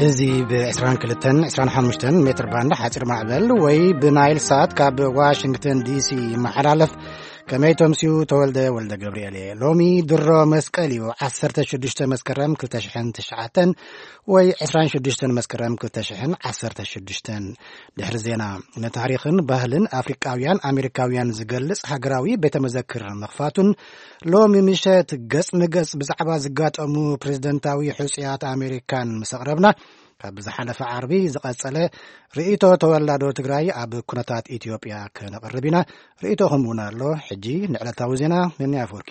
እዚ ብ22፣ 25 ሜትር ባንድ ሓፂር ማዕበል ወይ ብናይል ሳት ካብ ዋሽንግተን ዲሲ ይመሓላለፍ። ከመይ ተምስዩ? ተወልደ ወልደ ገብርኤል እየ። ሎሚ ድሮ መስቀል እዩ። 16 መስከረም 2009 ወይ 26 መስከረም 2016። ድሕሪ ዜና፣ ንታሪኽን ባህልን ኣፍሪቃውያን ኣሜሪካውያን ዝገልጽ ሃገራዊ ቤተ መዘክር ምኽፋቱን፣ ሎሚ ምሸት ገጽ ንገጽ ብዛዕባ ዝጋጠሙ ፕሬዝደንታዊ ሕጹያት ኣሜሪካን ምስ ኣቕረብና፣ ካብ ዝሓለፈ ዓርቢ ዝቐጸለ ርእይቶ ተወላዶ ትግራይ ኣብ ኩነታት ኢትዮጵያ ከነቕርብ ኢና። ርእይቶኹም እውን ኣሎ። ሕጂ ንዕለታዊ ዜና፣ ነኒ ኣፈወርቂ።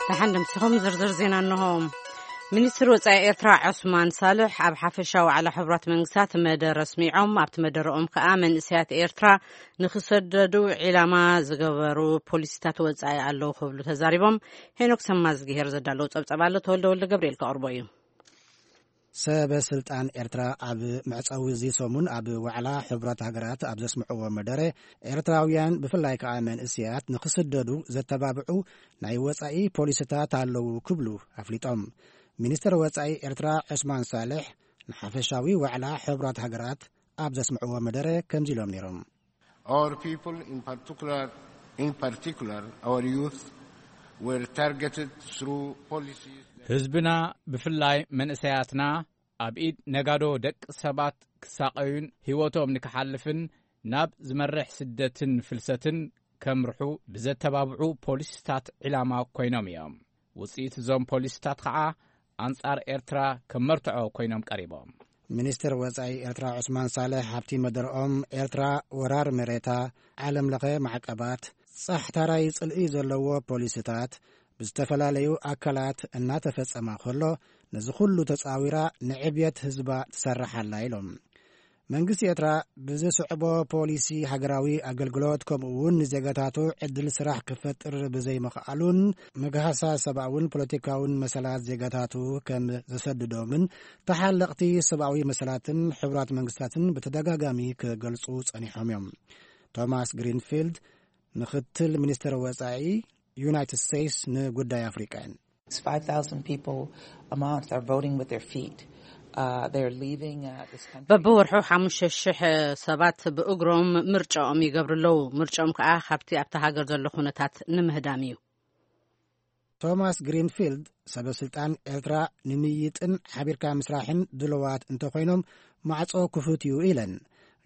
ደሓን ደምሲኹም። ዝርዝር ዜና እንሆ። ሚኒስትር ወጻኢ ኤርትራ ዑስማን ሳልሕ ኣብ ሓፈሻዊ ዋዕላ ሕቡራት መንግስታት መደረ ኣስሚዖም፣ ኣብቲ መደረኦም ከኣ መንእሰያት ኤርትራ ንኽሰደዱ ዒላማ ዝገበሩ ፖሊሲታት ወጻኢ ኣለዉ ክብሉ ተዛሪቦም። ሄኖክ ሰማዝግሄር ዘዳለዉ ጸብጸብ ኣሎ፣ ተወልደ ወልደ ገብርኤል ከቕርቦ እዩ። ሰበ ስልጣን ኤርትራ ኣብ መዕጸዊ እዚ ሰሙን ኣብ ዋዕላ ሕቡራት ሃገራት ኣብ ዘስምዕዎ መደረ፣ ኤርትራውያን ብፍላይ ከኣ መንእሰያት ንኽስደዱ ዘተባብዑ ናይ ወጻኢ ፖሊሲታት ኣለዉ ክብሉ ኣፍሊጦም። ሚኒስትር ወጻኢ ኤርትራ ዑስማን ሳልሕ ንሓፈሻዊ ዋዕላ ሕቡራት ሃገራት ኣብ ዘስምዕዎ መደረ ከምዚ ኢሎም ነይሮም። Our people, in particular, in particular, our youth, were targeted through policies that ህዝብና፣ ብፍላይ መንእሰያትና፣ ኣብ ኢድ ነጋዶ ደቂ ሰባት ክሳቐዩን ህይወቶም ንክሓልፍን ናብ ዝመርሕ ስደትን ፍልሰትን ከምርሑ ብዘተባብዑ ፖሊሲታት ዒላማ ኮይኖም እዮም። ውጽኢት እዞም ፖሊሲታት ኸዓ ኣንጻር ኤርትራ ከም መርትዖ ኮይኖም ቀሪቦም። ሚኒስትር ወጻኢ ኤርትራ ዑስማን ሳልሕ ኣብቲ መደረኦም፣ ኤርትራ ወራር መሬታ፣ ዓለም ለኸ ማዕቀባት፣ ጻሕታራይ ጽልኢ ዘለዎ ፖሊሲታት፣ ብዝተፈላለዩ ኣካላት እናተፈጸማ ከሎ፣ ነዚ ኩሉ ተጻዊራ ንዕብየት ህዝባ ትሰርሕ ኣላ ኢሎም። መንግስቲ ኤርትራ ብዝስዕቦ ፖሊሲ ሃገራዊ ኣገልግሎት፣ ከምኡ እውን ንዜጋታቱ ዕድል ስራሕ ክፈጥር ብዘይምኽኣሉን፣ ምግሃሳ ሰብኣውን ፖለቲካውን መሰላት ዜጋታቱ ከም ዘሰድዶምን ተሓለቕቲ ሰብኣዊ መሰላትን ሕቡራት መንግስታትን ብተደጋጋሚ ክገልጹ ጸኒሖም እዮም። ቶማስ ግሪንፊልድ፣ ምኽትል ሚኒስትር ወጻኢ ዩናይትድ ስቴትስ ንጉዳይ ኣፍሪቃ እየን። It's five thousand people a month are voting with their feet. Uh, they're leaving, uh, this country. በብወርሑ 5,000 ሰባት ብእግሮም ምርጫኦም ይገብሩ ኣለዉ። ምርጫኦም ከኣ ካብቲ ኣብታ ሃገር ዘሎ ኩነታት ንምህዳም እዩ። ቶማስ ግሪንፊልድ፣ ሰበ ስልጣን ኤርትራ ንምይጥን ሓቢርካ ምስራሕን ድልዋት እንተኾይኖም፣ ማዕጾ ክፉት እዩ ኢለን።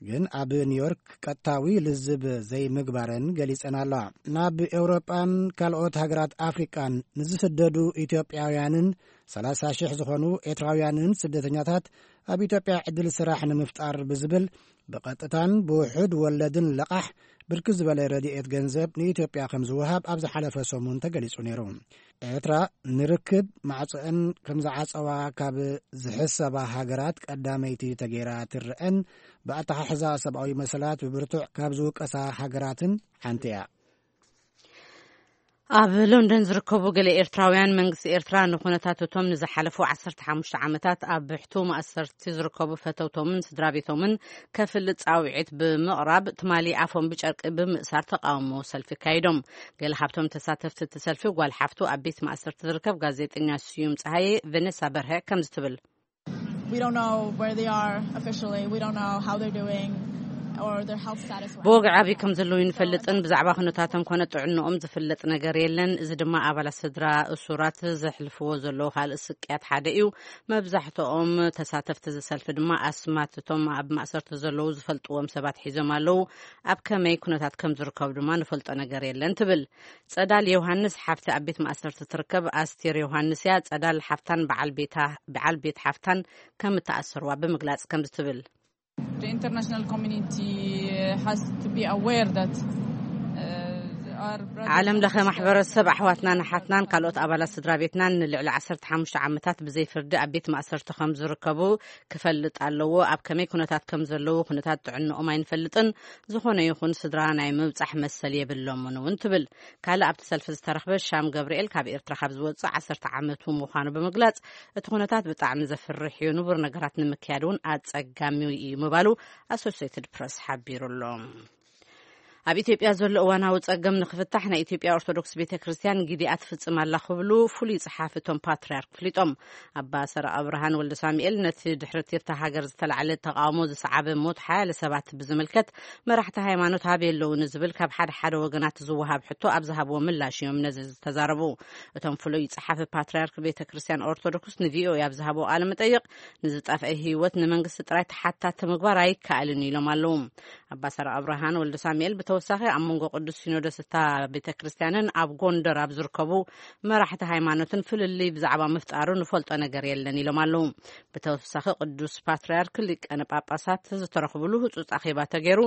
ግን ኣብ ኒውዮርክ ቀጥታዊ ልዝብ ዘይምግባረን ገሊጸን ኣለዋ። ናብ ኤውሮጳን ካልኦት ሃገራት ኣፍሪቃን ንዝስደዱ ኢትዮጵያውያንን 30,000 ዝኾኑ ኤርትራውያንን ስደተኛታት ኣብ ኢትዮጵያ ዕድል ስራሕ ንምፍጣር ብዝብል ብቐጥታን ብውሑድ ወለድን ለቓሕ ብርክት ዝበለ ረድኤት ገንዘብ ንኢትዮጵያ ከም ዝወሃብ ኣብ ዝሓለፈ ሰሙን ተገሊጹ ነይሩ። ኤርትራ ንርክብ ማዕጾአን ከም ዝዓጸዋ ካብ ዝሕሰባ ሃገራት ቀዳመይቲ ተገይራ ትረአን ብኣተሓሕዛ ሰብኣዊ መሰላት ብብርቱዕ ካብ ዝውቀሳ ሃገራትን ሓንቲ እያ። ኣብ ሎንደን ዝርከቡ ገለ ኤርትራውያን፣ መንግስቲ ኤርትራ ንኩነታት እቶም ንዝሓለፉ 15 ዓመታት ኣብ ብሕቱ ማእሰርቲ ዝርከቡ ፈተውቶምን ስድራ ቤቶምን ከፍልጥ ጻውዒት ብምቕራብ፣ ትማሊ ኣፎም ብጨርቂ ብምእሳር ተቃውሞ ሰልፊ ኣካይዶም። ገለ ካብቶም ተሳተፍቲ እቲ ሰልፊ ጓል ሓፍቱ ኣብ ቤት ማእሰርቲ ዝርከብ ጋዜጠኛ ስዩም ጸሃየ፣ ቨነሳ በርሀ ከምዚ ትብል። We don't know where they are officially. We don't know how they're doing or their health status. ብወግዒ ኣበይ ከም ዘለዉ ይንፈልጥን ብዛዕባ ኩነታቶም ኮነ ጥዕንኦም ዝፍለጥ ነገር የለን። እዚ ድማ ኣባላት ስድራ እሱራት ዘሕልፍዎ ዘለዉ ካልእ ስቅያት ሓደ እዩ። መብዛሕትኦም ተሳተፍቲ እዚ ሰልፊ ድማ ኣስማት እቶም ኣብ ማእሰርቲ ዘለዉ ዝፈልጥዎም ሰባት ሒዞም ኣለዉ። ኣብ ከመይ ኩነታት ከም ዝርከቡ ድማ ንፈልጦ ነገር የለን ትብል። ጸዳል ዮሃንስ ሓፍቲ ኣብ ቤት ማእሰርቲ ትርከብ ኣስቴር ዮሃንስ እያ። ጸዳል ሓፍታን በዓል ቤታ፣ በዓል ቤት ሓፍታን ከም እተኣሰርዋ ብምግላጽ ከምዚ ትብል። The international community has to be aware that, uh, our brothers ዓለም ለኸ and sisters ማሕበረሰብ ኣሕዋትናን ኣሓትናን ካልኦት ኣባላት ስድራ ቤትናን ንልዕሊ 15 ዓመታት ብዘይ ፍርዲ ኣብ ቤት ማእሰርቲ ከም ዝርከቡ ክፈልጥ ኣለዎ። ኣብ ከመይ ኩነታት ከም ዘለዉ፣ ኩነታት ጥዕንኦም ኣይንፈልጥን። ዝኾነ ይኹን ስድራ ናይ ምብጻሕ መሰል የብሎምን እውን ትብል። ካልእ ኣብቲ ሰልፊ ዝተረኽበ ሻም ገብርኤል ካብ ኤርትራ ካብ ዝወጽእ 10 ዓመቱ ምዃኑ ብምግላጽ፣ እቲ ኩነታት ብጣዕሚ ዘፍርሕ እዩ፣ ንቡር ነገራት ንምክያድ እውን ኣጸጋሚ እዩ ምባሉ ኣሶሴትድ ፕረስ ሓቢሩ ኣሎ። ኣብ ኢትዮጵያ ዘሎ እዋናዊ ጸገም ንኽፍታሕ ናይ ኢትዮጵያ ኦርቶዶክስ ቤተ ክርስቲያን ግዲኣ ትፍጽም ኣላ ክብሉ ፍሉይ ጸሓፊ እቶም ፓትርያርክ ፍሊጦም። ኣባ ሰረቐ ብርሃን ወልደ ሳሙኤል ነቲ ድሕሪ ቲርታ ሃገር ዝተላዕለ ተቓውሞ ዝሰዓበ ሞት ሓያለ ሰባት ብዝምልከት መራሕቲ ሃይማኖት ሃበይ ኣለዉ ንዝብል ካብ ሓደ ሓደ ወገናት ዝወሃብ ሕቶ ኣብ ዝሃብዎ ምላሽ እዮም ነዚ ዝተዛረቡ። እቶም ፍሉይ ጸሓፊ ፓትርያርክ ቤተ ክርስቲያን ኦርቶዶክስ ንቪኦኤ ኣብ ዝሃብዎ ቃለ መጠይቕ ንዝጠፍአ ህይወት ንመንግስቲ ጥራይ ተሓታቲ ምግባር ኣይከኣልን ኢሎም ኣለዉ። ኣባ ሰረቐ ብርሃን ወልደ ሳሙኤል ብተወሳኺ ኣብ መንጎ ቅዱስ ሲኖዶስ እታ ቤተ ክርስቲያንን ኣብ ጎንደር ኣብ ዝርከቡ መራሕቲ ሃይማኖትን ፍልልይ ብዛዕባ ምፍጣሩ ንፈልጦ ነገር የለን ኢሎም ኣለዉ። ብተወሳኺ ቅዱስ ፓትርያርክ ሊቀነ ጳጳሳት ዝተረኽብሉ ህጹጽ ኣኼባ ተገይሩ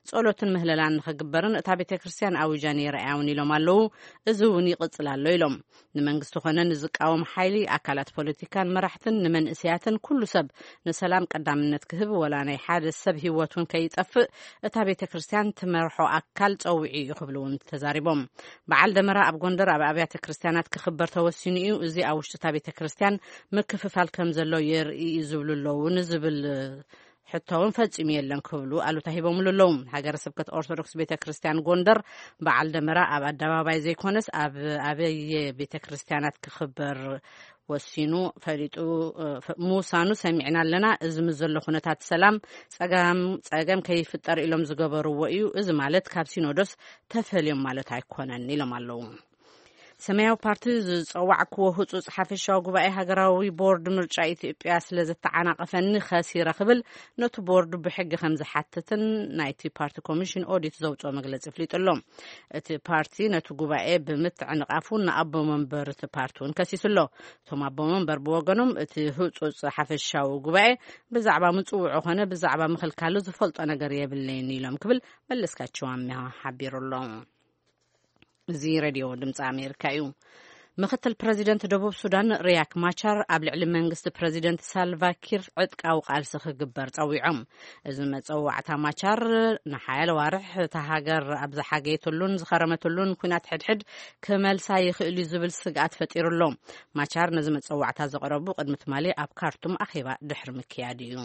ጸሎትን ምህለላን ንኽግበርን እታ ቤተ ክርስቲያን ኣውጃ ነይራ እያ እውን ኢሎም ኣለዉ። እዚ እውን ይቕጽል ኣሎ ኢሎም። ንመንግስቲ ኾነ ንዝቃወም ሓይሊ፣ ኣካላት ፖለቲካን መራሕትን ንመንእሰያትን ኩሉ ሰብ ንሰላም ቀዳምነት ክህብ፣ ወላ ናይ ሓደ ሰብ ህይወት እውን ከይጠፍእ እታ ቤተ ክርስቲያን ትመርሖ ኣካል ጸዊዑ እዩ ክብሉ እውን ተዛሪቦም። በዓል ደመራ ኣብ ጎንደር ኣብ ኣብያተ ክርስቲያናት ክኽበር ተወሲኑ እዩ። እዚ ኣብ ውሽጢ እታ ቤተ ክርስቲያን ምክፍፋል ከም ዘሎ የርኢ እዩ ዝብሉ ኣለዉ ንዝብል ሕቶ እውን ፈጺሙ የለን ክብሉ ኣሉታ ሂቦምሉ ኣለዉ። ሃገረ ስብከት ኦርቶዶክስ ቤተ ክርስቲያን ጎንደር በዓል ደመራ ኣብ ኣደባባይ ዘይኮነስ ኣብ ኣበየ ቤተ ክርስቲያናት ክኽበር ወሲኑ ፈሊጡ፣ እ፣ ፈ-፣ ምውሳኑ ሰሚዕና ኣለና። እዚ ምስ ዘሎ ኩነታት ሰላም ጸጋም-፣ ጸገም ከይፍጠር ኢሎም ዝገበርዎ እዩ። እዚ ማለት ካብ ሲኖዶስ ተፈልዮም ማለት ኣይኮነን ኢሎም ኣለዉ። ሰማያዊ ፓርቲ ዝጸዋዕክዎ ህጹጽ ሓፈሻዊ ጉባኤ ሃገራዊ ቦርድ ምርጫ ኢትዮጵያ ስለ ዘተዓናቐፈኒ ከሲረ ክብል ነቲ ቦርድ ብሕጊ ከም ዝሓትትን ናይቲ ፓርቲ ኮሚሽን ኦዲት ዘውጽኦ መግለጺ ኣፍሊጡ ኣሎ። እቲ ፓርቲ ነቲ ጉባኤ ብምትዕንቓፉ ንኣቦ መንበር እቲ ፓርቲ እውን ከሲሱ ኣሎ። እቶም ኣቦ መንበር ብወገኖም እቲ ህጹጽ ሓፈሻዊ ጉባኤ ብዛዕባ ምጽውዑ ኾነ ብዛዕባ ምኽልካሉ ዝፈልጦ ነገር የብለይን ኢሎም ክብል መለስካቸው ኣሚሃ ሓቢሩ ኣሎ። እዚ ሬድዮ ድምፂ ኣሜሪካ እዩ። ምክትል ፕረዚደንት ደቡብ ሱዳን ሪያክ ማቻር ኣብ ልዕሊ መንግስቲ ፕረዚደንት ሳልቫኪር ዕጥቃዊ ቃልሲ ክግበር ጸዊዖም። እዚ መጸዋዕታ ማቻር ንሓያለ ዋርሕ እታ ሃገር ኣብ ዝሓገየትሉን ዝኸረመትሉን ኩናት ሕድሕድ ክመልሳ ይኽእል እዩ ዝብል ስግኣት ፈጢሩ ኣሎ። ማቻር ነዚ መጸዋዕታ ዘቕረቡ ቅድሚ ትማሊ ኣብ ካርቱም ኣኼባ ድሕሪ ምክያድ እዩ።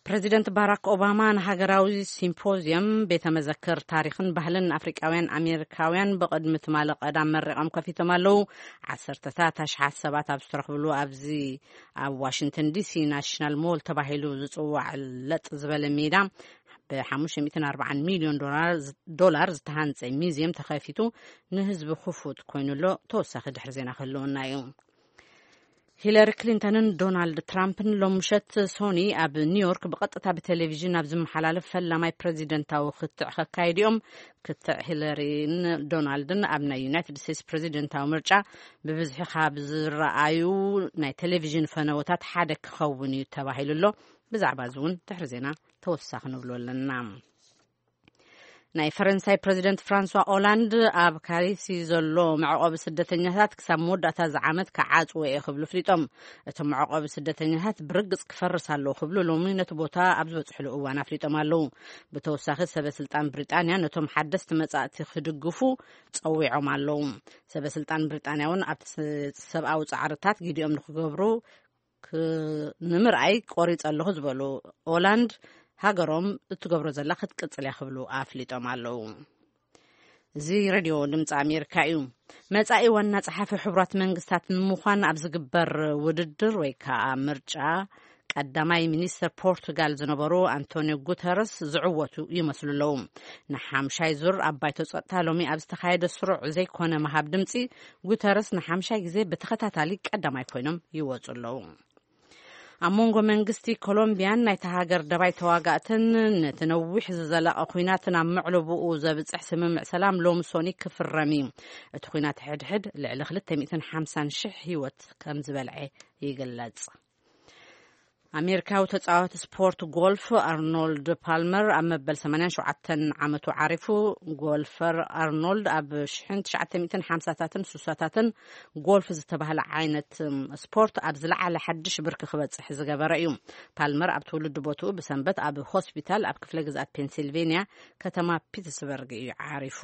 ፕረዚደንት ባራክ ኦባማ ንሃገራዊ ሲምፖዝየም ቤተ መዘክር ታሪኽን ባህልን ኣፍሪቃውያን ኣሜሪካውያን ብቕድሚ ትማሊ ቀዳም መሪቖም ከፊቶም ኣለዉ። ዓሰርተታት ኣሽሓት ሰባት ኣብ ዝተረኽብሉ ኣብዚ ኣብ ዋሽንግተን ዲሲ ናሽናል ሞል ተባሂሉ ዝጽዋዕ ለጥ ዝበለ ሜዳ ብ ሓሙሽተ ሚእትን ኣርባዓን ሚልዮን ዶላር፣ ዶላር ዝተሃንጸ ሚዝየም ተኸፊቱ ንህዝቢ ክፉት ኮይኑ ኣሎ። ተወሳኺ ድሕሪ ዜና ክህልወና እዩ። ሂለሪ ክሊንተንን ዶናልድ ትራምፕን ሎም ምሸት ሶኒ ኣብ ኒውዮርክ ብቐጥታ ብቴሌቪዥን ኣብ ዝመሓላለፍ ፈላማይ ፕረዚደንታዊ ክትዕ ከካይድ እዮም። ክትዕ ሂለሪን ዶናልድን ኣብ ናይ ዩናይትድ ስቴትስ ፕረዚደንታዊ ምርጫ ብብዝሒ ካብ ዝረኣዩ ናይ ቴሌቪዥን ፈነወታት ሓደ ክኸውን እዩ ተባሂሉ ኣሎ። ብዛዕባ እዚ እውን ድሕሪ ዜና ተወሳኺ ንብሎ ኣለና። ናይ ፈረንሳይ ፕረዚደንት ፍራንሷ ኦላንድ ኣብ ካሪሲ ዘሎ መዕቆቢ ስደተኛታት ክሳብ መወዳእታ እዚ ዓመት ክዓጽዎ እየ ክብሉ ኣፍሊጦም። እቶም መዕቆቢ ስደተኛታት ብርግጽ ክፈርስ ኣለዎ ክብሉ ሎሚ ነቲ ቦታ ኣብ ዝበጽሕሉ እዋን ኣፍሊጦም ኣለዉ። ብተወሳኺ ሰበ ስልጣን ብሪጣንያ ነቶም ሓደስቲ መጻእቲ ክድግፉ ጸዊዖም ኣለዉ። ሰበ ስልጣን ብሪጣንያ እውን ኣብቲ ስ-፣ ሰብኣዊ ጻዕርታት ግዲኦም ንክገብሩ ክ-፣ ንምርኣይ ቆሪጸ ኣለኹ ዝበሉ ኦላንድ፣ ሃገሮም እትገብሮ ዘላ ክትቅጽል እያ ክብሉ ኣፍሊጦም ኣለዉ። እዚ ሬድዮ ድምፂ ኣሜሪካ እዩ። መጻኢ ዋና ጸሓፊ ሕቡራት መንግስታት ንምዃን ኣብ ዝግበር ውድድር ወይ ከዓ ምርጫ ቀዳማይ ሚኒስተር ፖርቱጋል ዝነበሩ ኣንቶኒዮ ጉተረስ ዝዕወቱ ይመስሉ ኣለዉ። ንሓምሻይ ዙር ኣብ ባይቶ ጸጥታ ሎሚ ኣብ ዝተኻየደ ስሩዕ ዘይኮነ ምሃብ ድምፂ ጉተረስ ንሓምሻይ ግዜ ብተኸታታሊ ቀዳማይ ኮይኖም ይወፁ ኣለዉ። ኣብ መንጎ መንግስቲ ኮሎምቢያን ናይታ ሃገር ደባይ ተዋጋእትን ነቲ ነዊሕ ዝዘለቐ ኲናትን ኣብ መዕለብኡ ዘብፅሕ ስምምዕ ሰላም ሎሚ ሶኒ ክፍረም እዩ። እቲ ኲናት ሕድሕድ ልዕሊ ክልተ ሚእትን ሓምሳን ሽሕ ህይወት ከም ዝበልዐ ይግለጽ። ኣሜሪካዊ ተጻዋቲ ስፖርት ጎልፍ ኣርኖልድ ፓልመር ኣብ መበል ሰማንያን ሸውዓተን ዓመቱ ዓሪፉ። ጎልፈር ኣርኖልድ ኣብ ሽሕን ትሽዓተ ሚእትን ሓምሳታትን ሱሳታትን ጎልፍ ዝተባህለ ዓይነት፣ እም፣ ስፖርት ኣብ ዝለዓለ ሓድሽ ብርኪ ክበጽሕ ዝገበረ እዩ። ፓልመር ኣብ ትውልዲ ቦትኡ ብሰንበት ኣብ ሆስፒታል ኣብ ክፍለ ግዝኣት ፔንሲልቬንያ ከተማ ፒትስበርግ እዩ ዓሪፉ።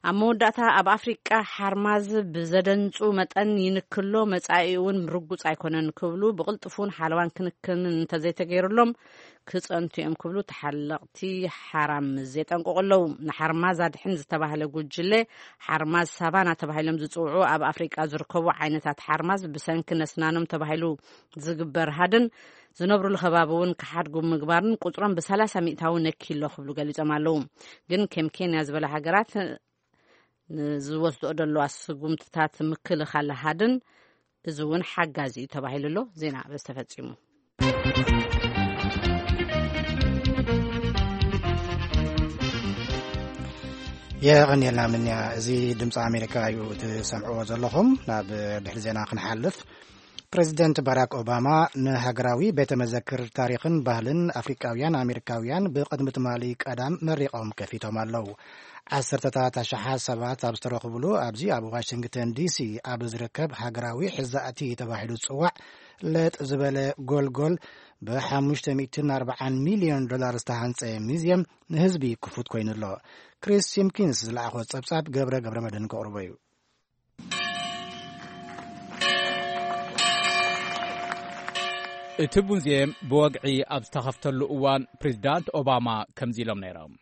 ኣብ መወዳእታ፣ ኣብ ኣፍሪቃ ሓርማዝ ብዘደንጹ መጠን ይንክሎ፣ መጻኢኡ እውን ርጉጽ ኣይኮነን ክብሉ፣ ብቕልጥፉን ሓለዋን ክንክን እንተዘይተገይሩሎም ክጸንቱ እዮም ክብሉ ተሓለቕቲ ሓራምዝ የጠንቅቑ ኣለዉ። ንሓርማዝ ኣድሕን ዝተባህለ ጉጅለ፣ ሓርማዝ ሳቫና ተባሂሎም ዝጽውዑ ኣብ ኣፍሪቃ ዝርከቡ ዓይነታት ሓርማዝ ብሰንኪ ነስናኖም ተባሂሉ ዝግበር ሃድን ዝነብሩሉ ከባቢ እውን ክሓድጉ ምግባርን ቁጽሮም ብ30% ነኪሎ ክብሉ ገሊጾም ኣለዉ። ግን ከም ኬንያ ዝበላ ሃገራት ንዝወስድኦ ዘለዋ ስጉምትታት ምክልኻል ሃድን እዚ እውን ሓጋዚ እዩ ተባሂሉ ኣሎ። ዜና በዚ ተፈጺሙ። የቐንየልና ምንያ። እዚ ድምፂ ኣሜሪካ እዩ ትሰምዕዎ ዘለኹም። ናብ ድሕሪ ዜና ክንሓልፍ፣ ፕሬዚደንት ባራክ ኦባማ ንሃገራዊ ቤተ መዘክር ታሪኽን ባህልን ኣፍሪቃውያን ኣሜሪካውያን ብቕድሚ ትማሊ ቀዳም መሪቖም ከፊቶም ኣለዉ። ዓሰርተታት ኣሽሓት ሰባት ኣብ ዝተረኽብሉ ኣብዚ ኣብ ዋሽንግተን ዲሲ ኣብ ዝርከብ ሃገራዊ ሕዛእቲ ተባሂሉ ዝጽዋዕ ለጥ ዝበለ ጎልጎል ብ540 ሚልዮን ዶላር ዝተሃንጸ ሙዚየም ንህዝቢ ክፉት ኮይኑ ኣሎ። ክሪስ ሲምኪንስ ዝለኣኾ ጸብጻብ ገብረ ገብረ መድህን ከቕርቦ እዩ። እቲ ሙዚየም ብወግዒ ኣብ ዝተኸፍተሉ እዋን ፕሬዚዳንት ኦባማ ከምዚ ኢሎም ነይሮም።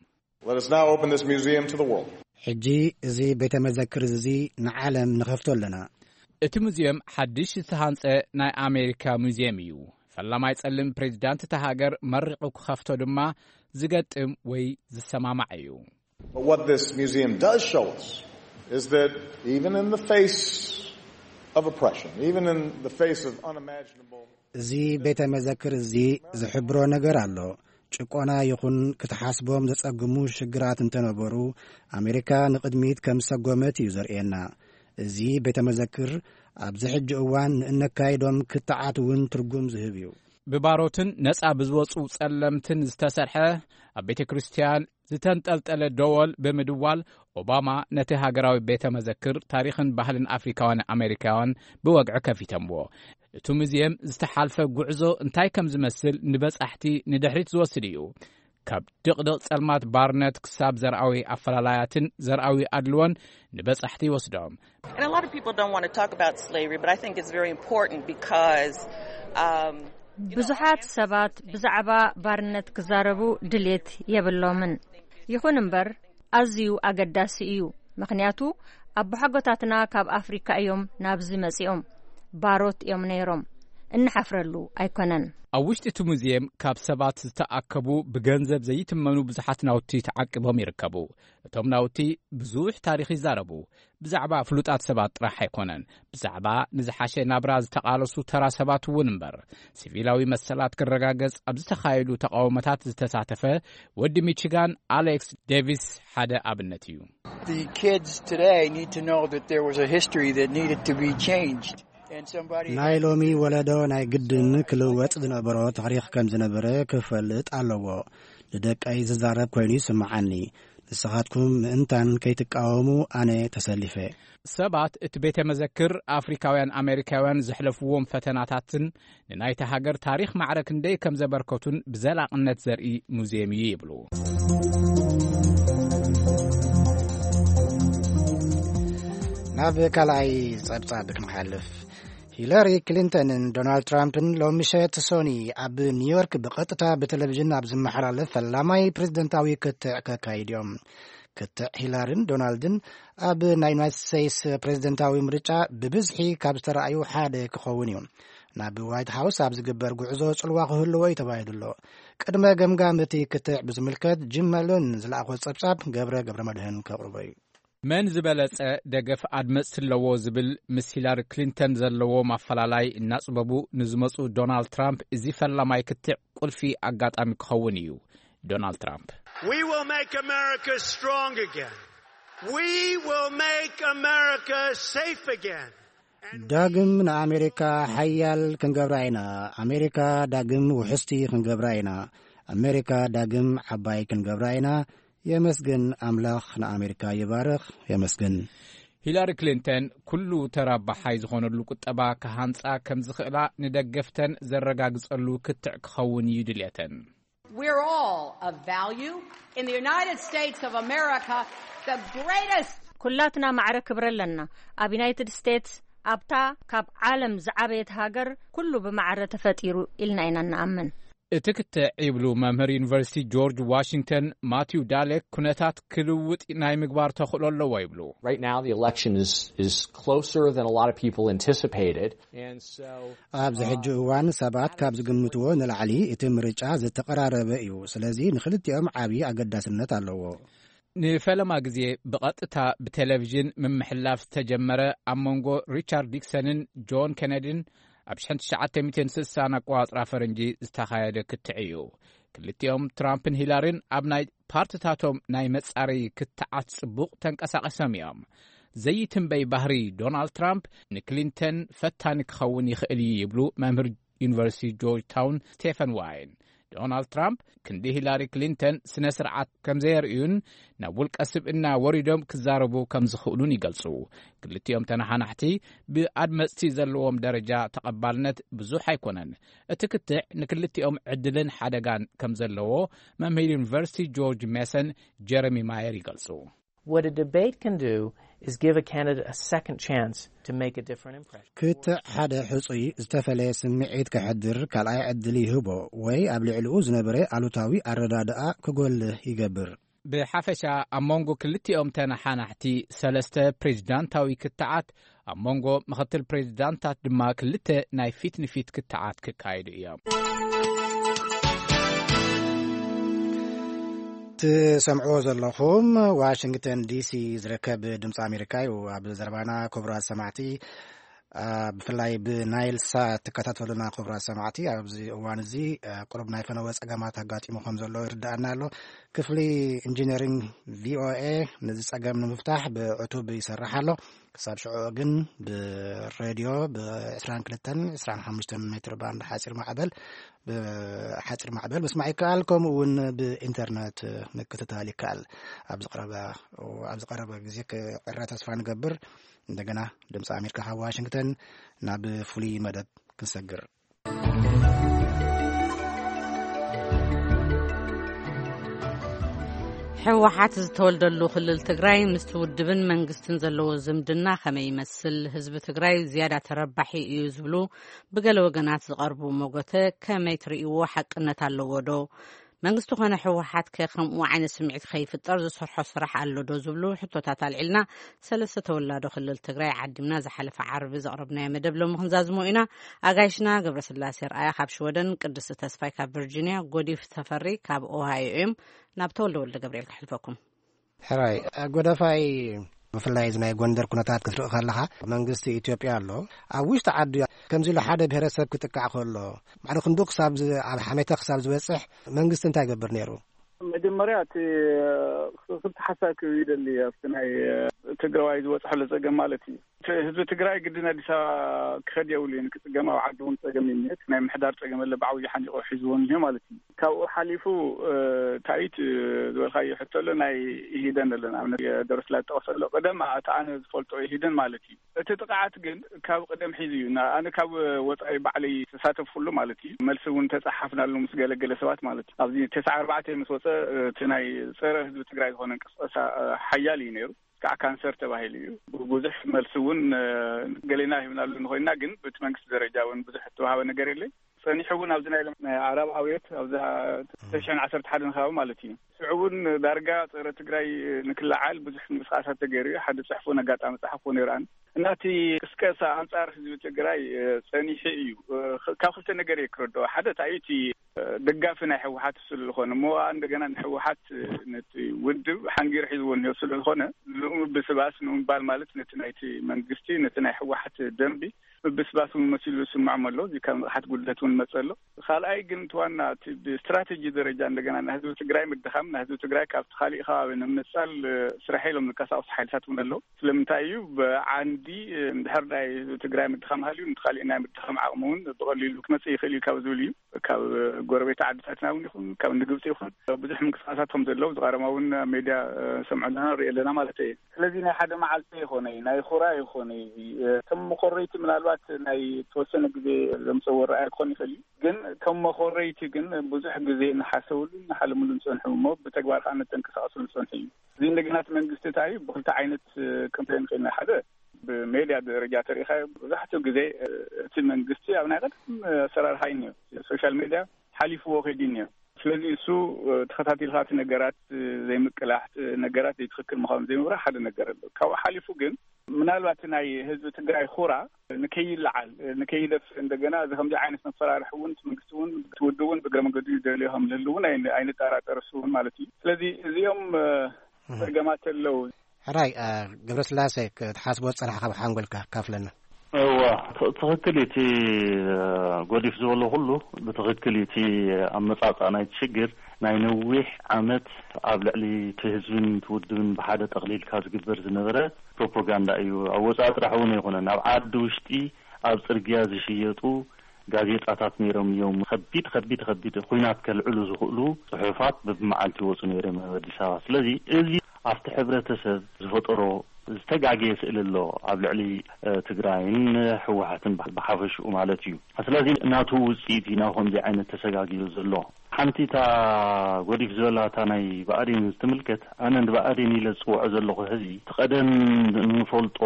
Let us now open this museum to the world. ሕጂ እዚ ቤተ መዘክር እዚ ንዓለም ንኸፍቶ ኣለና። እቲ ሙዚየም ሓድሽ ዝተሃንጸ ናይ ኣሜሪካ ሙዚየም እዩ። ፈላማይ ጸሊም ፕሬዚዳንት እታ ሃገር መሪቑ ክኸፍቶ ድማ ዝገጥም ወይ ዝሰማማዕ እዩ። But what this museum does show us is that even in the face of oppression, even in the face of unimaginable እዚ ቤተ መዘክር እዚ ዝሕብሮ ነገር ኣሎ። ጭቆና ይኹን ክትሓስቦም ዘጸግሙ ሽግራት እንተነበሩ፣ ኣሜሪካ ንቕድሚት ከም ሰጎመት እዩ ዘርእየና። እዚ ቤተ መዘክር ኣብዚ ሕጂ እዋን ንእነካይዶም ክትዓት እውን ትርጉም ዝህብ እዩ። ብባሮትን ነጻ ብዝወጹ ጸለምትን ዝተሰርሐ ኣብ ቤተ ክርስቲያን ዝተንጠልጠለ ደወል ብምድዋል፣ ኦባማ ነቲ ሃገራዊ ቤተ መዘክር ታሪኽን ባህልን ኣፍሪካውያን ኣሜሪካውያን ብወግዒ ከፊተምዎ። እቲ ሙዚየም ዝተሓልፈ ጉዕዞ እንታይ ከም ዝመስል ንበጻሕቲ ንድሕሪት ዝወስድ እዩ። ካብ ድቕድቕ ጸልማት ባርነት ክሳብ ዘርኣዊ ኣፈላላያትን ዘርኣዊ ኣድልዎን ንበጻሕቲ ይወስዶም። And a lot of people don't want to talk about slavery, but I think it's very important because um, ብዙሓት ሰባት ብዛዕባ ባርነት ክዛረቡ ድሌት የብሎምን። ይኹን እምበር፣ ኣዝዩ ኣገዳሲ እዩ። ምኽንያቱ፣ ኣቦሓጎታትና ካብ ኣፍሪካ እዮም ናብዚ መጺኦም። ባሮት እዮም ነይሮም። እንሓፍረሉ ኣይኮነን። ኣብ ውሽጢ እቲ ሙዚየም ካብ ሰባት ዝተኣከቡ ብገንዘብ ዘይትመኑ ብዙሓት ናውቲ ተዓቂቦም ይርከቡ። እቶም ናውቲ ብዙሕ ታሪኽ ይዛረቡ። ብዛዕባ ፍሉጣት ሰባት ጥራሕ ኣይኮነን፣ ብዛዕባ ንዝሓሸ ናብራ ዝተቓለሱ ተራ ሰባት እውን እምበር። ሲቪላዊ መሰላት ክረጋገጽ ኣብ ዝተኻየዱ ተቓውሞታት ዝተሳተፈ ወዲ ሚቺጋን ኣሌክስ ዴቪስ ሓደ ኣብነት እዩ። The kids today need to know that there was a history that needed to be changed. And somebody ናይ ሎሚ ወለዶ ናይ ግድን ክልወጥ ዝነበሮ ታሪኽ ከም ዝነበረ ክፈልጥ ኣለዎ። ንደቀይ ዝዛረብ ኮይኑ ይስምዓኒ። ንስኻትኩም ምእንታን ከይትቃወሙ ኣነ ተሰሊፈ። ሰባት እቲ ቤተ መዘክር ኣፍሪካውያን ኣሜሪካውያን ዘሕለፍዎም ፈተናታትን ንናይታ ሃገር ታሪኽ ማዕረ ክንደይ ከም ዘበርከቱን ብዘላቕነት ዘርኢ ሙዚየም እዩ ይብሉ። ናብ ካልኣይ ጸብጻብ ክንሓልፍ፣ ሂለሪ ክሊንተንን ዶናልድ ትራምፕን ሎሚ ምሸት ሶኒ ኣብ ኒውዮርክ ብቐጥታ ብቴሌቪዥን ኣብ ዝመሓላለፍ ፈላማይ ፕሬዝደንታዊ ክትዕ ከካይድ እዮም። ክትዕ ሂላርን ዶናልድን ኣብ ናይ ዩናይትድ ስቴትስ ፕሬዝደንታዊ ምርጫ ብብዝሒ ካብ ዝተረኣዩ ሓደ ክኸውን እዩ። ናብ ዋይት ሃውስ ኣብ ዝግበር ጉዕዞ ጽልዋ ክህልዎ እዩ ተባሂሉ ኣሎ። ቅድመ ገምጋም እቲ ክትዕ ብዝምልከት ጂም መሎን ዝለኣኾ ጸብጻብ ገብረ ገብረ መድህን ከቕርቦ እዩ። መን ዝበለጸ ደገፍ ኣድመጽቲ ኣለዎ ዝብል ምስ ሂላሪ ክሊንተን ዘለዎ ማፈላላይ እናጽበቡ ንዝመጹ ዶናልድ ትራምፕ እዚ ፈላማይ ክትዕ ቁልፊ ኣጋጣሚ ክኸውን እዩ። ዶናልድ ትራምፕ We will make America strong again. We will make America safe again. ዳግም ንኣሜሪካ ሓያል ክንገብራ ኢና። ኣሜሪካ ዳግም ውሕስቲ ክንገብራ ኢና። ኣሜሪካ ዳግም ዓባይ ክንገብራ ኢና። የመስግን ኣምላኽ ንኣሜሪካ ይባርኽ። የመስግን። ሂላሪ ክሊንተን ኩሉ ተራባሓይ ዝኾነሉ ቁጠባ ክሃንጻ ከም ዝኽእላ ንደገፍተን ዘረጋግጸሉ ክትዕ ክኸውን እዩ ድልየተን። We're all of value in the United States of America, the greatest ኩላትና ማዕረ ክብሪ ኣለና። ኣብ ዩናይትድ ስቴትስ፣ ኣብታ ካብ ዓለም ዝዓበየት ሃገር፣ ኩሉ ብማዕረ ተፈጢሩ ኢልና ኢና ንኣምን። እቲ ክትዕ ይብሉ መምህር ዩኒቨርሲቲ ጆርጅ ዋሽንግተን ማቲው ዳሌክ፣ ኩነታት ክልውጥ ናይ ምግባር ተኽእሎ ኣለዎ ይብሉ። Right now, the election is, is closer than a lot of people anticipated. And so, ኣብዚ ሕጂ እዋን ሰባት ካብ ዝግምትዎ ንላዕሊ እቲ ምርጫ ዝተቐራረበ እዩ። ስለዚ ንክልቲኦም ዓብዪ ኣገዳስነት ኣለዎ። ንፈለማ ግዜ ብቐጥታ ብቴሌቪዥን ምምሕላፍ ዝተጀመረ ኣብ መንጎ ሪቻርድ ኒክሰንን ጆን ኬነዲን ኣብ ሽሕን ትሽዓተ ሚእትን ስሳን ኣቆጻጽራ ፈረንጂ ዝተኻየደ ክትዕ እዩ። ክልቲኦም ትራምፕን ሂላሪን ኣብ ናይ ፓርትታቶም ናይ መጻረዪ ክትዓት ጽቡቕ ተንቀሳቒሶም እዮም። ዘይትንበይ ባህሪ ዶናልድ ትራምፕ ንክሊንተን ፈታኒ ክኸውን ይኽእል እዩ ይብሉ መምህር ዩኒቨርሲቲ ጆርጅ ታውን ስቴፈን ዋይን። ዶናልድ ትራምፕ ክንዲ ሂላሪ ክሊንተን ስነ ስርዓት ከም ዘየርእዩን ናብ ውልቀ ስብእና ወሪዶም ክዛረቡ ከም ዝኽእሉን ይገልጹ። ክልቲኦም ተነሓናሕቲ ብኣድመጽቲ ዘለዎም ደረጃ ተቐባልነት ብዙሕ ኣይኮነን። እቲ ክትዕ ንክልቲኦም ዕድልን ሓደጋን ከም ዘለዎ መምህር ዩኒቨርሲቲ ጆርጅ ሜሰን ጀረሚ ማየር ይገልጹ። What a debate can do is give a candidate a second chance to make a different impression. ክትዕ ሓደ ሕጹይ ዝተፈለየ ስምዒት ከሕድር ካልኣይ ዕድል ይህቦ ወይ ኣብ ልዕሊኡ ዝነበረ ኣሉታዊ ኣረዳድኣ ክጎልህ ይገብር። ብሓፈሻ ኣብ መንጎ ክልቲኦም ተነሓናሕቲ ሰለስተ ፕሬዚዳንታዊ ክትዓት፣ ኣብ መንጎ ምኽትል ፕሬዚዳንታት ድማ ክልተ ናይ ፊት ንፊት ክትዓት ክካየዱ እዮም። ትሰምዕዎ ዘለኹም ዋሽንግተን ዲሲ ዝርከብ ድምፂ ኣሜሪካ እዩ። ኣብ ዘረባና ክቡራት ሰማዕቲ፣ አ፣ ብፍላይ ብናይል ሳት ትከታተሉና ክቡራት ሰማዕቲ፣ ኣብዚ እዋን እዚ፣ አ፣ ቁሩብ ናይ ፈነወ ጸገማት ኣጋጢሙ ከም ዘሎ ይርዳኣና ኣሎ። ክፍሊ ኢንጂነሪንግ ቪኦኤ ነዚ ጸገም ንምፍታሕ ብዕቱብ ይሰርሕ ኣሎ። ክሳብ ሽዑ ግን ብሬድዮ ብ22፣ 25 ሜትር ባንድ ሓጺር ማዕበል፣ ብሓጺር ማዕበል ምስማዕ ይከኣል። ከምኡ እውን ብኢንተርነት ምክትታል ይከኣል። ኣብ ዝቐረበ፣ ኣብ ዝቐረበ ግዜ ክዕረ ተስፋ ንገብር። እንደገና ድምፂ ኣሜሪካ ካብ ዋሽንግተን ናብ ፍሉይ መደብ ክንሰግር። ህወሓት ዝተወልደሉ ክልል ትግራይ ምስቲ ውድብን መንግስትን ዘለዎ ዝምድና ከመይ ይመስል? ህዝቢ ትግራይ ዝያዳ ተረባሒ እዩ ዝብሉ ብገለ ወገናት ዝቐርቡ መጎተ ከመይ ትርእይዎ? ሓቅነት ኣለዎ ዶ? መንግስቲ ኮነ ህወሓት ከ ከምኡ ዓይነት ስምዒት ከይፍጠር ዝሰርሖ ስራሕ ኣሎ ዶ ዝብሉ ሕቶታት ኣልዒልና፣ ሰለስተ ተወላዶ ክልል ትግራይ ዓዲምና ዝሓለፈ ዓርቢ ዘቕረብናዮ መደብ ሎሚ ክንዛዝሞ ኢና። ኣጋይሽና ገብረስላሴ ርኣያ ካብ ሽወደን፣ ቅድስቲ ተስፋይ ካብ ቨርጂንያ፣ ጎዲፍ ተፈሪ ካብ ኦሃዮ እዮም። ናብ ተወልደ ወልደ ገብርኤል ከሕልፈኩም። ሕራይ፣ ጎደፋይ፣ ብፍላይ እዚ ናይ ጎንደር ኩነታት ክትርኢ ከለኻ፣ መንግስቲ ኢትዮጵያ ኣሎ። ኣብ ውሽጢ ዓዲ ከምዚ ኢሉ ሓደ ብሄረሰብ ክጥቃዕ ከሎ፣ ማዕረ ክንዱ ክሳብ ዝ-፣ ኣብ ሓሜታ ክሳብ ዝበጽሕ መንግስቲ እንታይ ይገብር ነይሩ? መጀመርያ እቲ ክልተ ሓሳብ ክህብ ይደሊ። ኣብቲ ናይ ትግራዋይ ዝበፅሐሉ ፀገም ማለት እዩ። እቲ ህዝቢ ትግራይ ግድን ኣዲስ ኣበባ ክኸድ የብሉ እዩ። ንክፅገም ኣብ ዓዲ እውን ፀገም እዩ። እቲ ናይ ምሕዳር ፀገም ኣለ፣ ብዓብዩ ሓኒቆ ሒዝዎ እኒሄ ማለት እዩ። ካብኡ ሓሊፉ፣ እ፣ ታይት ዝበልካዮ ሕቶ ኣሎ፣ ናይ ኢሂደን ኣሎ። ንኣብነት የደረስላ ዝጠቐሰ ኣሎ። ቀደም እቲ ኣነ ዝፈልጦ ኢሂደን ማለት እዩ። እቲ ጥቕዓት ግን ካብ ቀደም ሒዙ እዩ። ና-፣ ኣነ ካብ ወጻኢ ባዕለይ ተሳተፍኩሉ ማለት እዩ። መልሲ እውን ተጻሓፍናሉ ምስ ገለገለ ሰባት ማለት እዩ። ኣብዚ ተስዓ ኣርባዕተ ምስ ወጸ፣ እቲ ናይ ጸረ ህዝቢ ትግራይ ዝኾነ እንቅስቃሴ፣ እ፣ ሓያል እዩ ነይሩ። ከዓ ካንሰር ተባሂሉ እዩ። ብዙሕ መልሲ እውን፣ እ፣ ገሌና ሂብናሉ እንኾይና፣ ግን በቲ መንግስቲ ደረጃ እውን ብዙሕ ዝተዋሃበ ነገር የለን። ጸኒሑ እውን ኣብዚ ናይ ሎም-፣ ናይ ዓረብ ኣብዮት ኣብዛ ተሽሕን ዓሰርተ ሓደን ከባቢ ማለት እዩ። ሽዑ እውን ዳርጋ ጸረ ትግራይ ንክለዓል ብዙሕ ምንቅስቃሳት ተገይሩ እዩ። ሓደ ጽሕፉ ነጋጣሚ ጸሓፍኩ ነይሩ ኣነ። እና እቲ ቅስቀሳ ኣንጻር ህዝቢ ትግራይ፣ እ፣ ጸኒሑ እዩ። እ፣ ካብ ክልተ ነገር እየ ክረድኦ። ሓደ፣ እቲ ኣብዩ እቲ፣ እ፣ ደጋፊ ናይ ህወሓት ስለ ዝኾነ፣ እሞ እንደገና ንህወሓት፣ እ፣ ነቲ ውድብ ሓንጊሩ ሒዝዎ እኒኦ ስለ ዝኾነ፣ ንኡ ብስባስ ንምባል ማለት ነቲ ናይቲ መንግስቲ፣ ነቲ ናይ ህወሓት ደንቢ ምብስባስ እውን መሲሉ ዝስምዖም ኣሎ። እዚ ካብ ንቕሓት ጉድለት እውን መጸ ኣሎ። ካልኣይ ግን እቲ ዋና እቲ ብስትራቴጂ ደረጃ እንደገና ናይ ህዝቢ ትግራይ ምድኻም፣ ናይ ህዝቢ ትግራይ ካብቲ ካሊእ ከባቢ ንምንጻል፣ እ፣ ስራሕ ኢሎም ዝንቀሳቐሱ ሓይልታት እውን ኣለዉ። ስለምንታይ እዩ ብዓንዲ፣ እ፣ እንድሕር ናይ ህዝቢ ትግራይ ምድኻም ሃልዩ፣ ነቲ ካሊእ ናይ ምድኻም ዓቕሚ እውን ብቐሊሉ ክመጽእ ይኽእል እዩ ካብ ዝብል እዩ። ካብ ጎረቤት ዓድታትና እውን ይኹን፣ ካብ ንግብፂ ይኹን ብዙሕ ምንቅስቃሳት ከም ዘለዉ ዝቐረማ እውን ኣብ ሜድያ፣ እ፣ ሰምዖ ኣለና፣ ንርኢ ኣለና ማለት እዩ። ስለዚ ናይ ሓደ መዓልቲ ይኾነ እዩ፣ ናይ ኹራ ይኾነ እዩ። እዚ፣ እ፣ ከም መኮረይቲ ምናልባት ባት ናይ ተወሰነ ግዜ ዘምፀዎ ረኣያ ክኾን ይኽእል እዩ። ግን ከም መኾረይቲ ግን ብዙሕ ግዜ ንሓሰብሉ ንሓልምሉ ንፀንሑ እሞ ብተግባር ከዓ ንተንቀሳቐስሉ ንፀንሑ እዩ። እዚ እንደገና እቲ መንግስቲ እንታይ እዩ ብክልተ ዓይነት ክንሪኦ ንኽእል ኢና። ሓደ ብሜድያ ደረጃ ተሪኢኻ ብዙሕቱ ግዜ እቲ መንግስቲ ኣብ ናይ ቀደም ኣሰራርሓ እዩ ነይሩ። ሶሻል ሜድያ ሓሊፍዎ ከይዱ ነይሩ። ስለዚ እሱ ተኸታቲልካ እቲ ነገራት ዘይምቅላሕ፣ ነገራት ዘይትኽክል ምዃኑ ዘይምብራህ ሓደ ነገር ኣሎ። ካብኡ ሓሊፉ ግን ምናልባት ናይ ህዝቢ ትግራይ ኹራ ንከይለዓል ንከይደፍ እንደገና እዚ ከምዚ ዓይነት መፈራርሒ እውን እቲ መንግስቲ እውን እቲ ውድብ እውን ብእግረ መንገዱ ይደልዮ ከም ዝህሉ እውን ኣይን- ኣይንጠራጠር እሱ እውን ማለት እዩ። ስለዚ እዚኦም ጸገማት ኣለዉ። ሕራይ ገብረስላሴ ክትሓስቦ ዝጸናሕካ ብሓንጎልካ ካፍለና። እዋ፣ ት- ትኽክል እዩ። እቲ ጎዲፍ ዝበሎ ኩሉ ብትኽክል እዩ። እቲ ኣመጻጽኣ ናይቲ ሽግር ናይ ነዊሕ ዓመት ኣብ ልዕሊ እቲ ህዝብን እቲ ውድብን ብሓደ ጠቕሊልካ ዝግበር ዝነበረ ፕሮፓጋንዳ እዩ። ኣብ ወጻኢ ጥራሕ እውን ኣይኮነን፣ ኣብ ዓዲ ውሽጢ ኣብ ጽርግያ ዝሽየጡ ጋዜጣታት ነይሮም እዮም። ከቢድ ከቢድ ከቢድ ኹናት ከልዕሉ ዝኽእሉ ጽሑፋት በብመዓልቲ ይወጹ ነይሮም ኣብ ኣዲስ ኣበባ። ስለዚ እዚ ኣብቲ ሕብረተሰብ ዝፈጠሮ ዝተጋገየ ስእሊ ኣሎ ኣብ ልዕሊ ትግራይን ህወሓትን ብሓፈሽኡ ማለት እዩ። ስለዚ ናቱ ውፅኢት እዩ ናብ ከምዚ ዓይነት ተሰጋጊሩ ዘሎ። ሓንቲ እታ ጎዲፍ ዝበላታ ናይ ብኣዴን ዝትምልከት ኣነ ንብኣዴን ኢለ ዝፅውዖ ዘለኹ ህዚ እቲ ቀደም እንፈልጦ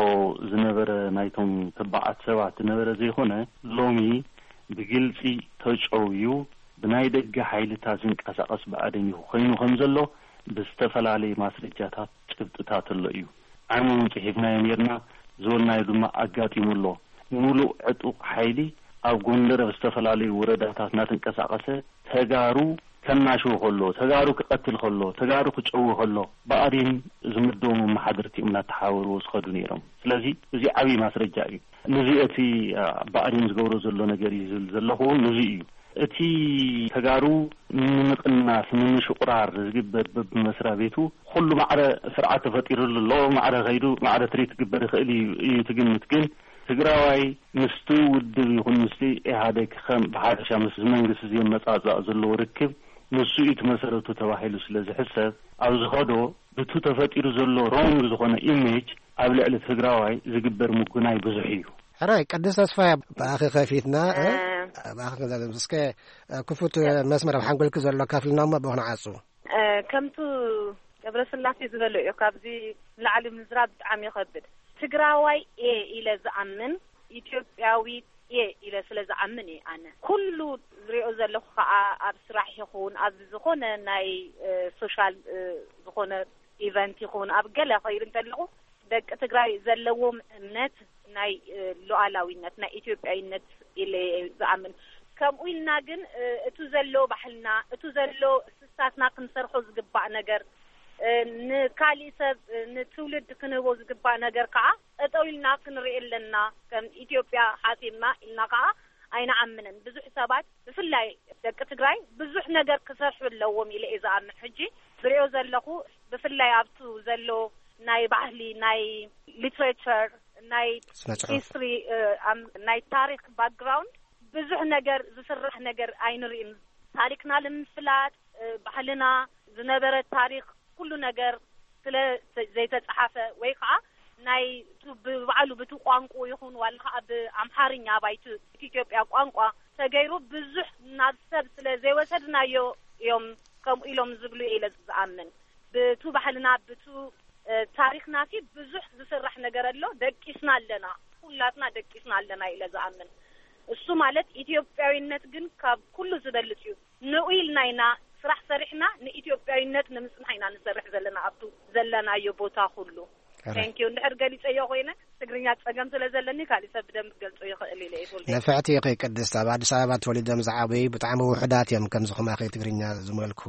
ዝነበረ ናይቶም ተባዓት ሰባት ዝነበረ ዘይኮነ ሎሚ ብግልፂ ተጨውዩ ብናይ ደገ ሓይልታት ዝንቀሳቐስ ብኣዴን እዩ ኮይኑ ከም ዘሎ ብዝተፈላለየ ማስረጃታት ጭብጥታት ኣሎ እዩ። ዓሚ እውን ፅሒፍናዮ ነርና ዝበልናዮ ድማ ኣጋጢሙ ኣሎ። ሙሉእ ዕጡቕ ሓይሊ ኣብ ጎንደር ኣብ ዝተፈላለዩ ወረዳታት እናተንቀሳቐሰ ተጋሩ ከናሽው ከሎ፣ ተጋሩ ክቐትል ከሎ፣ ተጋሩ ክጨዊ ከሎ ብኣዴን ዝምደቡ መመሓድርቲ እዮም እናተሓባበርዎ ዝኸዱ ነይሮም። ስለዚ እዚ ዓብዪ ማስረጃ እዩ። ነዚ እቲ ብኣዴን ዝገብሮ ዘሎ ነገር እዩ ዝብል ዘለኹ እውን ነዚ እዩ። እቲ ተጋሩ ንምቕናስ ንምሽቑራር ዝግበር በብመስሪያ ቤቱ ኩሉ ማዕረ ስርዓት ተፈጢሩሉ ኣሎ። ማዕረ ከይዱ ማዕረ ትሪት ክግበር ይኽእል እዩ እዩ ትግምት። ግን ትግራዋይ ምስቲ ውድብ ይኹን ምስቲ ኢህኣዴግ ከም ብሓፈሻ ምስ መንግስቲ ዘመፃፅእ ዘለዎ ርክብ ንሱ እዩ እቲ መሰረቱ ተባሂሉ ስለ ዝሕሰብ ኣብ ዝኸዶ ብቱ ተፈጢሩ ዘሎ ሮንግ ዝኾነ ኢሜጅ ኣብ ልዕሊ ትግራዋይ ዝግበር ምጉናይ ብዙሕ እዩ። ሕራይ ቅድስ ተስፋ ብኣኺ ከፊትና እ? እ። ብኣኺ ክንዛዘም እስከ ክፉት መስመር ኣብ ሓንጎልኪ ዘሎ ካፍልና እሞ ብኹን ዓፁ። እ፣ ከምቱ ገብረስላሴ ዝበሎ እዩ። ካብዚ ንላዕሊ ምዝራብ ብጣዕሚ ይኸብድ። ትግራዋይ እየ ኢለ ዝኣምን ኢትዮጵያዊ እየ ኢለ ስለ ዝኣምን እየ። ኣነ ኩሉ ዝሪኦ ዘለኹ ከዓ ኣብ ስራሕ ይኹን ኣብ ዝኾነ ናይ እ፣ ሶሻል እ፣ ዝኾነ ኢቨንት ይኹን ኣብ ገለ ኸይድ እንተለኹ ደቂ ትግራይ ዘለዎም እምነት ናይ እ፣ ሉዓላዊነት ናይ ኢትዮጵያዊነት ኢለ እየ ዝኣምን። ከምኡ ኢልና ግን እ፣ እቱ ዘሎ ባህልና እቱ ዘሎ እስታትና ክንሰርሖ ዝግባእ ነገር እ፣ ንካሊእ ሰብ እ፣ ንትውልድ ክንህቦ ዝግባእ ነገር ከዓ ጠጠው ኢልና ክንርኢ ኣለና። ከም ኢትዮጵያ ሓሲብና ኢልና ከዓ ኣይንኣምንን። ብዙሕ ሰባት ብፍላይ ደቂ ትግራይ ብዙሕ ነገር ክሰርሑ ኣለዎም ኢለ እየ ዝኣምን። ሕጂ ዝሪኦ ዘለኹ ብፍላይ ኣብቱ ዘሎ ናይ ባህሊ ናይ ሊትሬቸር ናይ ስነ ጽሑፍ። ሂስትሪ እ፣ ኣም- ናይ ታሪክ ባክግራውንድ ብዙሕ ነገር ዝስራሕ ነገር ኣይንርእን። ታሪክና ንምፍላጥ እ፣ ባህልና ዝነበረ ታሪክ ኩሉ ነገር ስለ ዘይተፀሓፈ ወይ ከዓ ናይ ቱ- ብባዕሉ ብቲ ቋንቁ ይኹን ዋላ ከዓ ብኣምሓርኛ ባይቲ ኢትዮጵያ ቋንቋ ተገይሩ ብዙሕ ናብ ሰብ ስለ ዘይወሰድናዮ እዮም ከምኡ ኢሎም ዝብሉ ኢለ ዝኣምን። ብቱ ባህልና ብቱ እ፣ ታሪክና ሲ ብዙሕ ዝስራሕ ነገር ኣሎ። ደቂስና ኣለና፣ ኩላትና ደቂስና ኣለና ኢለ ዝኣምን። እሱ ማለት ኢትዮጵያዊነት ግን ካብ ኩሉ ዝበልፅ እዩ። ንኡ ኢልና ኢና ስራሕ ሰሪሕና ንኢትዮጵያዊነት ንምፅናሕ ኢና ንሰርሕ ዘለና ኣብቱ ዘለናዮ ቦታ ኩሉ። Correct። Thank you። እንድሕር ገሊፀዮ ኮይነ ትግርኛ ፀገም ስለ ዘለኒ ካሊእ ሰብ ብደንብ ገልፆ ይኽእል ኢለ እየ። ንፍዕቲ ኢኺ ቅድስት። ኣብ ኣዲስ ኣበባ ተወሊዶም ዝዓበዩ ብጣዕሚ ውሑዳት እዮም ከምዚ ከማኺ ትግርኛ ዝመልኩ።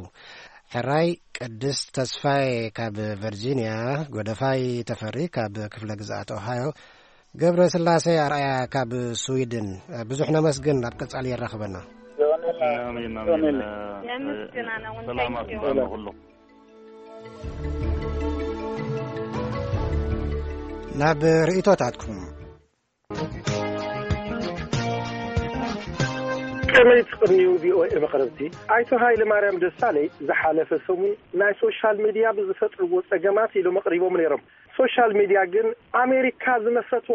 ሕራይ ቅድስት ተስፋዬ ካብ ቨርጂንያ፣ ጎደፋይ ተፈሪ ካብ ክፍለ ግዝኣት ኦሃዮ፣ ገብረ ስላሴ ኣርኣያ ካብ ስዊድን። ብዙሕ ነመስግን፣ ኣብ ቀጻሊ የራኽበና። ኣሜን፣ ኣሜን። የመስግን፣ ኣነ እውን ሰላማት thank you። ይኹን ኩሉ። ናብ ርእይቶታትኩም። ከመይ ትቕንዩ ቪኦኤ መቕረብቲ? ኣይቶ ሃይለ ማርያም ደሳለይ ዝሓለፈ ሰሙን ናይ ሶሻል ሚድያ ብዝፈጥርዎ ጸገማት ኢሎም ኣቕሪቦም ነይሮም። ሶሻል ሚድያ ግን ኣሜሪካ ዝመሰቶ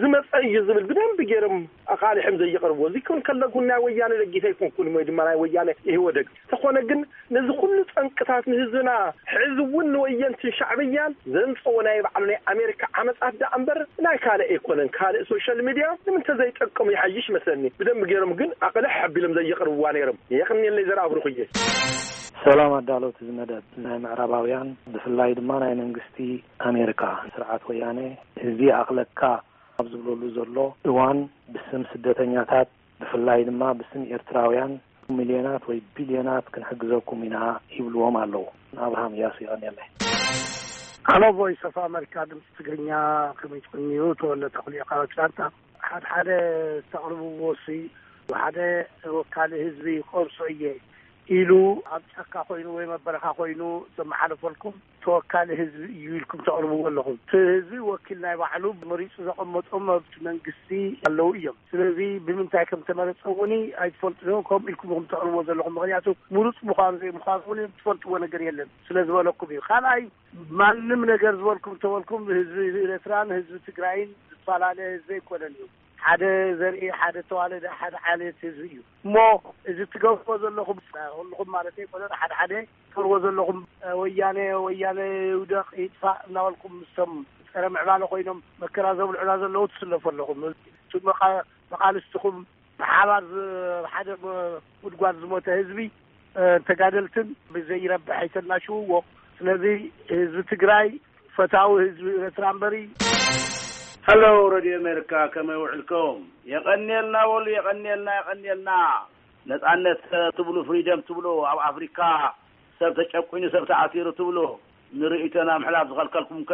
ዝመፀ እዩ ዝብል ብደንብ ገይሮም ኣቓሊሖም ዘየቕርብዎ። እዚ ክብል ከለኹ ናይ ወያነ ደጊፈ ኣይኮንኩን ወይ ድማ ናይ ወያነ ኢህወደግ። ተኾነ ግን ነዚ ኩሉ ጠንቅታት ንህዝብና፣ ሕዚ እውን ንወየንትን ሻዕብያን ዘንፀዎ ናይ ባዕሉ ናይ ኣሜሪካ ዓመፃት ደኣ እምበር ናይ ካልእ ኣይኮነን። ካልእ ሶሻል ሚድያ ንምንተ ዘይጠቅም ይሓይሽ መስለኒ። ብደንብ ገይሮም ግን ኣቕልሕ ኣቢሎም ዘየቕርብዋ ነይሮም። የቕንየለይ ዘርኣብሩኽየ። ሰላም ኣዳለውቲ እዚ መደብ። ናይ ምዕራባውያን ብፍላይ ድማ ናይ መንግስቲ ኣሜሪካ ስርዓት ወያነ ህዝቢ ኣቕለካ ኣብ ዝብለሉ ዘሎ እዋን ብስም ስደተኛታት ብፍላይ ድማ ብስም ኤርትራውያን ሚልዮናት ወይ ቢልዮናት ክንሕግዘኩም ኢና ይብልዎም ኣለዉ። ኣብርሃም እያሱ ይቐንየለይ። ኣሎ። ቮይስ ኦፍ ኣመሪካ ድምፂ ትግርኛ፣ ከመይ ትቕንዩ? ተወለ ተኽልዮ ካብ ኣትላንታ። ሓደ ሓደ ዝተቕርብዎ ሲ ሓደ ወካሊ ህዝቢ ቆርሶ እየ ኢሉ ኣብ ጫካ ኮይኑ ወይ መበረኻ ኮይኑ ዘመሓለፈልኩም ተወካሊ ህዝቢ እዩ ኢልኩም ተቕርብዎ ኣለኹም። እቲ ህዝቢ ወኪል ናይ ባዕሉ መሪፁ ዘቐመጦም መብት መንግስቲ ኣለዉ እዮም። ስለዚ ብምንታይ ከም ተመረፀ እውን ኣይትፈልጡ ዶ? ከምኡ ኢልኩም ኢኹም ተቕርብዎ ዘለኹም። ምክንያቱ ምሩፅ ምዃኑ ዘይምዃኑ እውን ትፈልጥዎ ነገር የለን ስለ ዝበለኩም እዩ። ካልኣይ ማንም ነገር ዝበልኩም ተበልኩም ህዝቢ ኤርትራን ህዝቢ ትግራይን ዝፈላለ ህዝቢ ኣይኮነን እዩ። ሓደ ዘርኢ፣ ሓደ ተዋለደ፣ ሓደ ዓሌት ህዝቢ እዩ። እሞ እዚ ትገብርዎ ዘለኹም ኩልኹም ማለት ኣይኮነን፣ ሓደ ሓደ ትገብርዎ ዘለኹም ወያነ ወያነ ይውደቕ ይጥፋእ እናበልኩም ምስቶም ፀረ ምዕባለ ኮይኖም መከራ ዘብልዑና ዘለዉ ትስለፉ ኣለኹም። እቲ መቃ- መቃልስትኹም ብሓባር ዝ- ሓደ ጉድጓድ ዝሞተ ህዝቢ ተጋደልትን ብዘይረብሕ ኣይተናሽውዎ። ስለዚ ህዝቢ ትግራይ ፈታዊ ህዝቢ ኤርትራ እምበሪ። ሀሎ ሬድዮ ኣሜሪካ፣ ከመይ ውዕልኩም? የቐንየልና በሉ፣ የቐንየልና፣ የቐንየልና። ነጻነት ትብሉ፣ ፍሪደም ትብሉ፣ ኣብ ኣፍሪካ ሰብ ተጨቁኑ ሰብ ተኣሲሩ ትብሉ፣ ንርእይቶና ምሕላፍ ዝኸልከልኩም ከ?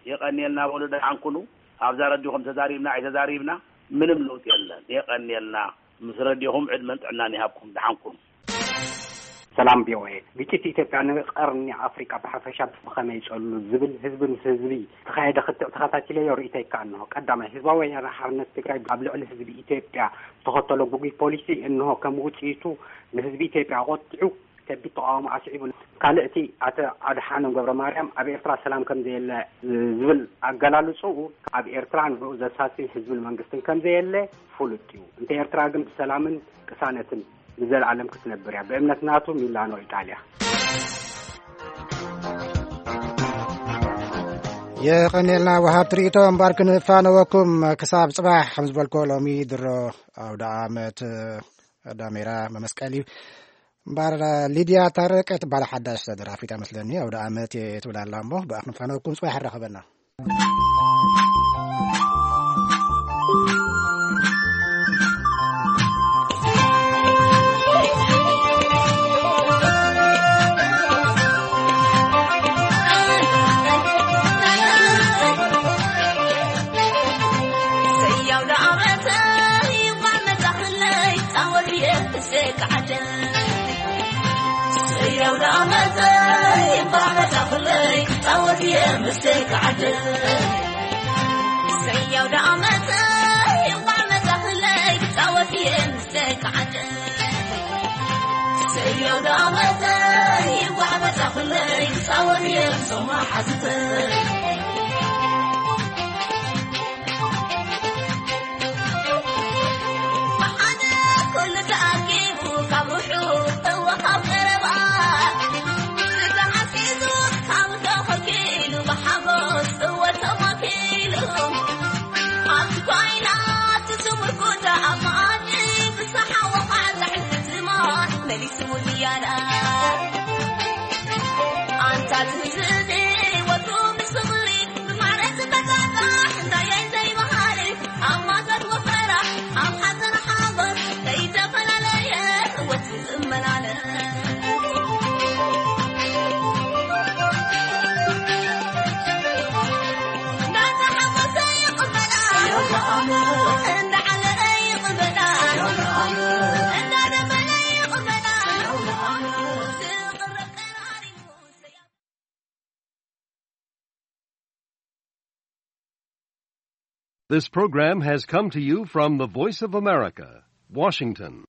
የቐንየልና በሉ፣ ደሓን ኩኑ። ኣብዛ ረዲኹም ተዛሪብና ኣይተዛሪብና ምንም ለውጢ የለን። የቐንየልና። ምስ ረዲኹም ዕድመን ጥዕናን ይሃብኩም። ደሓን ኩኑ። ሰላም ቪኦኤ። ግጭት ኢትዮጵያ ንቀርኒ ኣፍሪቃ ብሓፈሻ ብኸመይ ይጸሉ ዝብል ህዝቢ ምስ ህዝቢ ዝተኻየደ ክትዕ ተኸታቲለዮ ርእይቶ ይከኣል እንሆ። ቀዳማይ፣ ህዝባዊ ወያነ ሓርነት ትግራይ ኣብ ልዕሊ ህዝቢ ኢትዮጵያ ዝተኸተሎ ግጉይ ፖሊሲ እንሆ ከም ውጽኢቱ ንህዝቢ ኢትዮጵያ ኣቖጢዑ ከቢድ ተቓውሞ ኣስዒቡ። ካልእ እቲ ኣቶ ኣድሓኖም ገብረ ማርያም ኣብ ኤርትራ ሰላም ከም ዘየለ ዝብል ኣገላልጽኡ ኣብ ኤርትራ ንዕኡ ዘሳሲ ህዝብን መንግስትን ከም ዘየለ ፍሉጥ እዩ። እንተ ኤርትራ ግን ብሰላምን ቅሳነትን ንዘለኣለም ክትነብር እያ። ብእምነት ናቱ ሚላኖ ኢጣልያ። የቐንየልና ወሃብ ትርኢቶ እምባር ክንፋነወኩም ክሳብ ጽባሕ ከም ዝበልኮ ሎሚ ድሮ ኣውደ ዓመት ዳሜራ መመስቀል እዩ። እምባር ሊድያ ታረቀ ትበሃል ሓዳሽ ደራፊት መስለኒ ኣውደ ዓመት እየ ትብል ኣላ እሞ ብኣ ክንፋነወኩም ጽባሕ ይራኸበና። This program has come to you from the Voice of America, Washington.